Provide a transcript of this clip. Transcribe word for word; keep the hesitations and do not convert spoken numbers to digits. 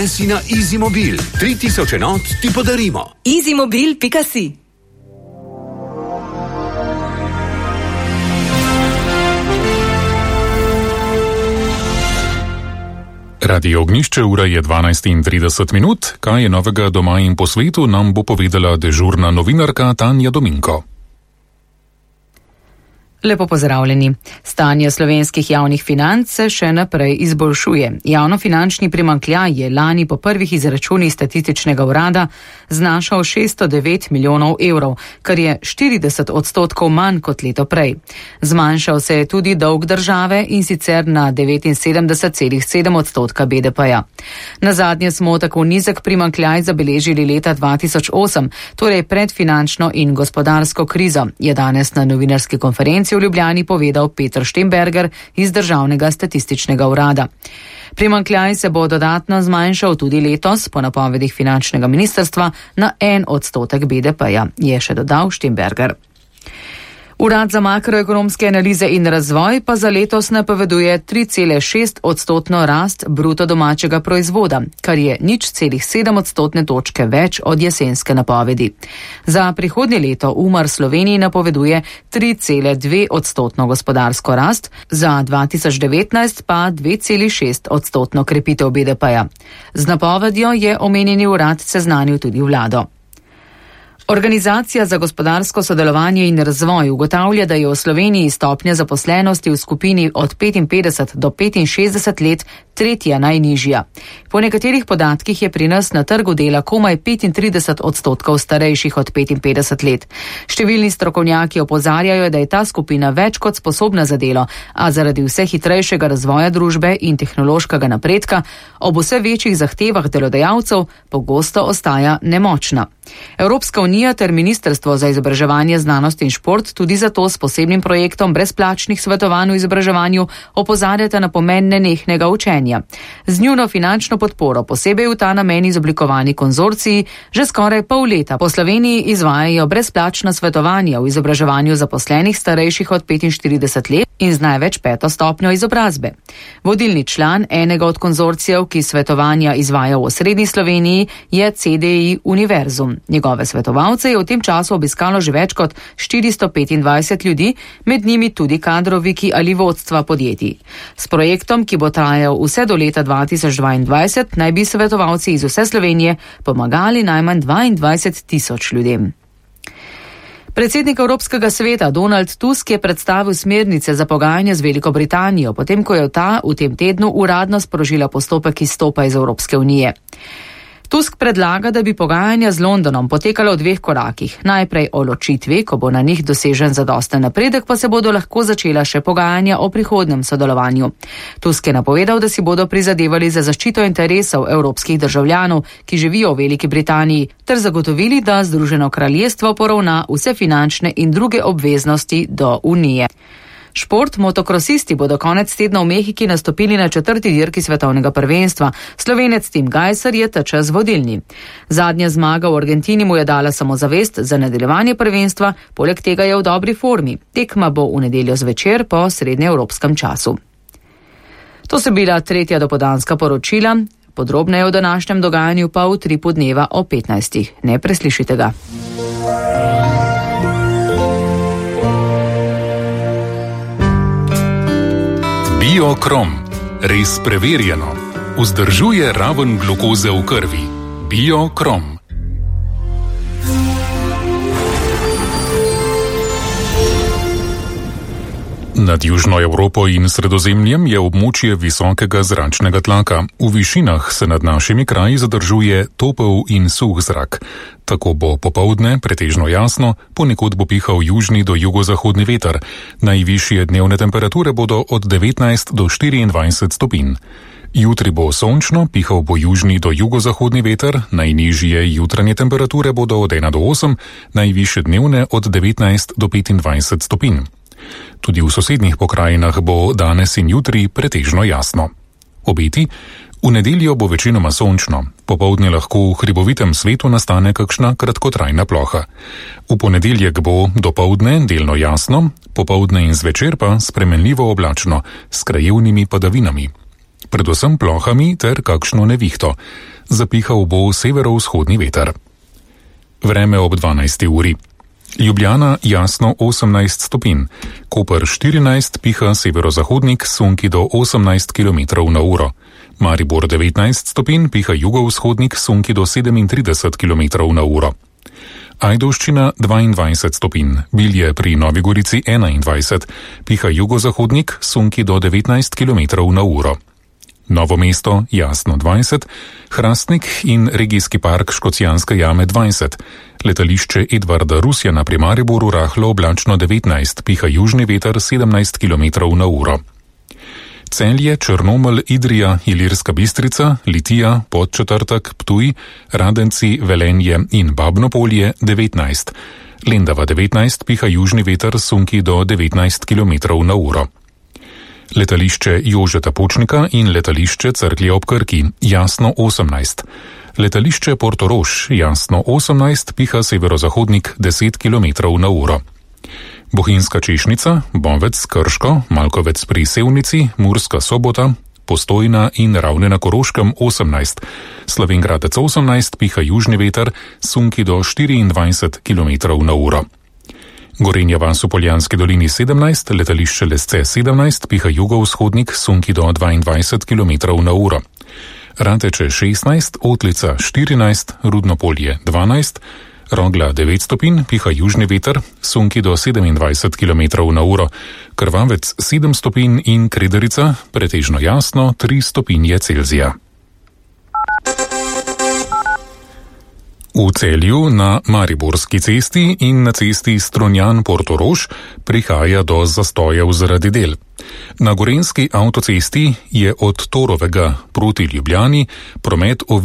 prenesi na EasyMobil. tri tisoč enot ti podarimo. easymobil pika si. Radio Ognjišče, ura je dvanajst in trideset minut. Kaj je novega doma in po svetu, nam bo povedala dežurna novinarka Tanja Dominko. Lepo pozdravljeni. Stanje slovenskih javnih financ se še naprej izboljšuje. Javnofinančni primanjkljaj je lani po prvih izračunih statističnega urada znašal šeststo devet milijonov evrov, kar je štirideset odstotkov manj kot leto prej. Zmanjšal se je tudi dolg države in sicer na devetinsedemdeset celih sedem odstotka B D P-ja. Nazadnje smo tako nizek primanjkljaj zabeležili leta dva tisoč osem, torej pred finančno in gospodarsko krizo, je danes na novinarski konferenci v Ljubljani povedal Peter Štemberger iz Državnega statističnega urada. Primanjkljaj se bo dodatno zmanjšal tudi letos, po napovedih finančnega ministrstva, na en odstotek B D P-ja, je še dodal Štemberger. Urad za makroekonomske analize in razvoj pa za letos napoveduje tri cele šest odstotno rast bruto domačega proizvoda, kar je nič celih sedem odstotne točke več od jesenske napovedi. Za prihodnje leto Umar Sloveniji napoveduje tri cele dve odstotno gospodarsko rast, za dva tisoč devetnajst pa dve celi šest odstotno krepitev B D P-ja. Z napovedjo je omenjeni urad seznanil tudi vlado. Organizacija za gospodarsko sodelovanje in razvoj ugotavlja, da je v Sloveniji stopnja zaposlenosti v skupini od petinpetdeset do petinšestdeset let tretja najnižja. Po nekaterih podatkih je pri nas na trgu dela komaj petintrideset odstotkov starejših od petinpetdeset let. Številni strokovnjaki opozarjajo, da je ta skupina več kot sposobna za delo, a zaradi vse hitrejšega razvoja družbe in tehnološkega napredka ob vse večjih zahtevah delodajalcev pogosto ostaja nemočna. Evropska unija ter Ministrstvo za izobraževanje, znanost in šport tudi zato s posebnim projektom brezplačnih svetovanj v izobraževanju opozarjata na pomen nenehnega učenja. Z njuno finančno podporo posebej v ta namen izoblikovani konzorciji že skoraj pol leta po Sloveniji izvajajo brezplačna svetovanja v izobraževanju zaposlenih starejših od petinštirideset let in z največ peto stopnjo izobrazbe. Vodilni član enega od konzorcijev, ki svetovanja izvaja v osrednji Sloveniji, je C D I Univerzum. Njegove svetovalce je v tem času obiskalo že več kot štiristo petindvajset ljudi, med njimi tudi kadroviki ali vodstva podjetij. S projektom, ki bo trajal vse do leta dva tisoč dvaindvajset, naj bi svetovalci iz vse Slovenije pomagali najmanj dvaindvajset tisoč ljudem. Predsednik Evropskega sveta Donald Tusk je predstavil smernice za pogajanje z Veliko Britanijo, potem ko je ta v tem tednu uradno sprožila postopek izstopa iz Evropske unije. Tusk predlaga, da bi pogajanja z Londonom potekala v dveh korakih. Najprej o ločitvi, ko bo na njih dosežen zadosten napredek, pa se bodo lahko začela še pogajanja o prihodnem sodelovanju. Tusk je napovedal, da si bodo prizadevali za zaščito interesov evropskih državljanov, ki živijo v Veliki Britaniji, ter zagotovili, da Združeno kraljestvo poravna vse finančne in druge obveznosti do Unije. Šport, motokrosisti bodo konec tedna v Mehiki nastopili na četrti dirki svetovnega prvenstva. Slovenec Tim Gajser je ta čas vodilni. Zadnja zmaga v Argentini mu je dala samozavest za nadaljevanje prvenstva, poleg tega je v dobri formi. Tekma bo v nedeljo zvečer po srednjeevropskem času. To so bila tretja dopoldanska poročila. Podrobneje o današnjem dogajanju pa v tripu dneva o petnajstih. Ne preslišite ga. Biokrom. Res preverjeno. Vzdržuje raven glukoze v krvi. Biokrom. Nad Južno Evropo in Sredozemljem je območje visokega zračnega tlaka. V višinah se nad našimi kraji zadržuje topel in suh zrak. Tako bo popoldne pretežno jasno, ponekod bo pihal južni do jugozahodni veter. Najvišje dnevne temperature bodo od devetnajst do štiriindvajset stopinj. Jutri bo sončno, pihal bo južni do jugozahodni veter, najnižje jutranje temperature bodo od ena do osem, najvišje dnevne od devetnajst do petindvajset stopinj. Tudi v sosednjih pokrajinah bo danes in jutri pretežno jasno. Obeti: v nedeljo bo večinoma sončno, popoldne lahko v hribovitem svetu nastane kakšna kratkotrajna ploha. V ponedeljek bo dopoldne delno jasno, popoldne in zvečer pa spremenljivo oblačno, s krajevnimi padavinami. predvsem plohami ter kakšno nevihto. Zapihal bo severovzhodni veter. Vreme ob dvanajsti uri. Ljubljana jasno osemnajst stopinj, Koper štirinajst, piha severozahodnik, sunki do osemnajst kilometrov na uro. Maribor devetnajst stopinj, piha jugovzhodnik, sunki do sedemintrideset kilometrov na uro. Ajdovščina dvaindvajset stopinj, Bilje pri Novi Gorici enaindvajset, piha jugozahodnik, sunki do devetnajst kilometrov na uro. Novo mesto jasno dvajset, Hrastnik in regijski park Škocjanske jame dvajset, letališče Edvarda Rusjana pri Mariboru rahlo oblačno devetnajst, piha južni veter sedemnajst kilometrov na uro. Celje, Črnomelj, Idrija, Ilirska Bistrica, Litija, Podčetrtek, Ptuj, Radenci, Velenje in Babnopolje devetnajst, Lendava devetnajst, piha južni veter sunki do devetnajst kilometrov na uro. Letališče Jožeta Pučnika in letališče Cerklje ob Krki jasno osemnajst. Letališče Portorož jasno osemnajst, piha severozahodnik deset kilometrov na uro. Bohinjska Češnica, Bovec, Krško, Malkovec pri Sevnici, Murska Sobota, Postojna in Ravne na Koroškem osemnajst. Slovenj Gradec osemnajst, piha južni veter, sunki do štiriindvajset kilometrov na uro. Gorenja vas v Poljanski dolini sedemnajst, letališče Lesce sedemnajst, piha jugovzhodnik, sunki do dvaindvajset kilometrov na uro. Rateče šestnajst, Otlica štirinajst, Rudnopolje dvanajst, Rogla devet stopinj, piha južni veter, sunki do sedemindvajset kilometrov na uro. Krvavec sedem stopinj in Krederica, pretežno jasno, tri stopinje Celzija. V Celju na Mariborski cesti in na cesti Strunjan-Portorož prihaja do zastojev zaradi del. Na gorenjski avtocesti je od Torovega proti Ljubljani promet